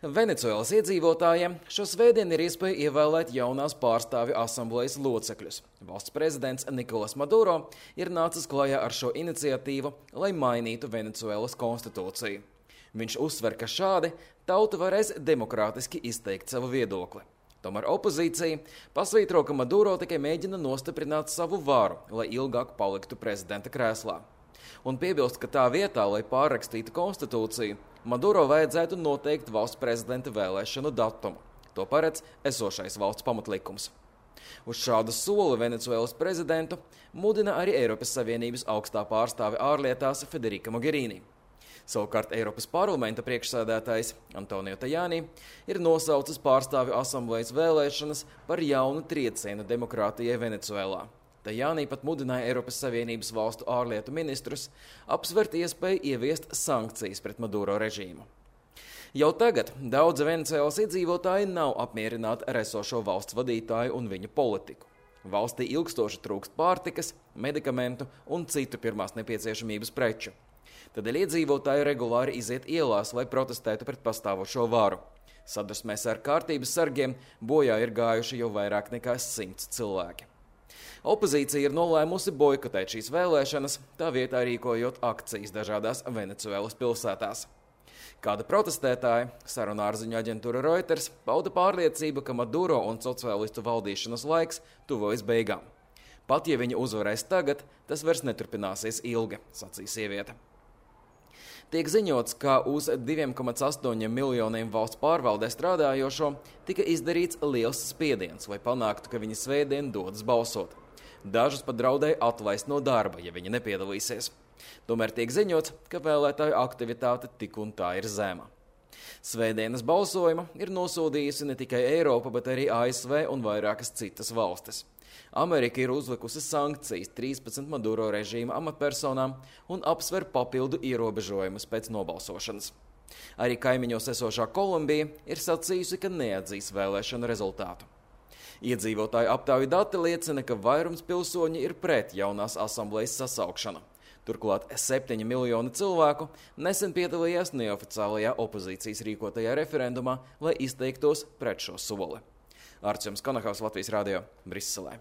Venecuēlas iedzīvotājiem šo svētdienu ir iespēja ievēlēt jaunās pārstāvju asamblejas locekļus. Valsts prezidents Nikolas Maduro ir nācis klajā ar šo iniciatīvu, lai mainītu Venecuēlas konstitūciju. Viņš uzsver, ka šādi tauta varēs demokrātiski izteikt savu viedokli. Tomēr opozīcija pasvītro, ka Maduro tikai mēģina nostiprināt savu varu, lai ilgāk paliktu prezidenta krēslā. Un piebilst, ka tā vietā, lai pārrakstītu konstitūciju, Maduro vajadzētu noteikt valsts prezidenta vēlēšanu datumu. To paredz esošais valsts pamatlikums. Uz šādu soli Venecuēlas prezidentu mudina arī Eiropas Savienības augstā pārstāve ārlietās Federica Mogherini. Savukārt Eiropas parlamenta priekšsēdētājs Antonio Tajani ir nosaucis pārstāvju asamblejas vēlēšanas par jaunu triecienu demokrātijai Venecuēlā. Tajani pat mudināja Eiropas Savienības valstu ārlietu ministrus apsvert iespēju ieviest sankcijas pret Maduro režīmu. Jau tagad daudzi Venecuēlas iedzīvotāji nav apmierināti ar esošo valsts vadītāju un viņa politiku. Valstī ilgstoši trūkst pārtikas, medikamentu un citu pirmās nepieciešamības preču. Tādēļ iedzīvotāji regulāri iziet ielās, lai protestētu pret pastāvošo varu. Sadursmēs ar kārtības sargiem bojā ir gājuši jau vairāk nekā 100 cilvēki. Opozīcija ir nolēmusi boikotēt šīs vēlēšanas, tā vietā rīkojot akcijas dažādās Venecuēlas pilsētās. Kāda protestētāja, sarunu ārziņu aģentūra Reuters, pauda pārliecību, ka Maduro un sociālistu valdīšanas laiks tuvojas beigām. Pat ja viņa uzvarēs tagad, tas vairs neturpināsies ilgi, sacīja sieviete. Tiek ziņots, ka uz 2,8 miljoniem valsts pārvaldē strādājošo tika izdarīts liels spiediens, lai panāktu, ka viņi svētdien dodas balsot. Dažus pat draudēja atlaist no darba, ja viņi nepiedalīsies. Tomēr tiek ziņots, ka vēlētāju aktivitāte tik un tā ir zema. Svētdienas balsojuma ir nosodījusi ne tikai Eiropa, bet arī ASV un vairākas citas valstis. Amerika ir uzlikusi sankcijas 13 Maduro režīma amatpersonām un apsver papildu ierobežojumus pēc nobalsošanas. Arī kaimiņos esošā Kolumbija ir sacījusi, ka neatzīs vēlēšanu rezultātu. Iedzīvotāju aptauju dati liecina, ka vairums pilsoņi ir pret jaunās asamblejas sasaukšanu. Turklāt 7 miljoni cilvēku nesen piedalījās neoficiālajā opozīcijas rīkotajā referendumā, lai izteiktos pret šo soli. Arčuns Konahaus, Latvijas radio, Briselē.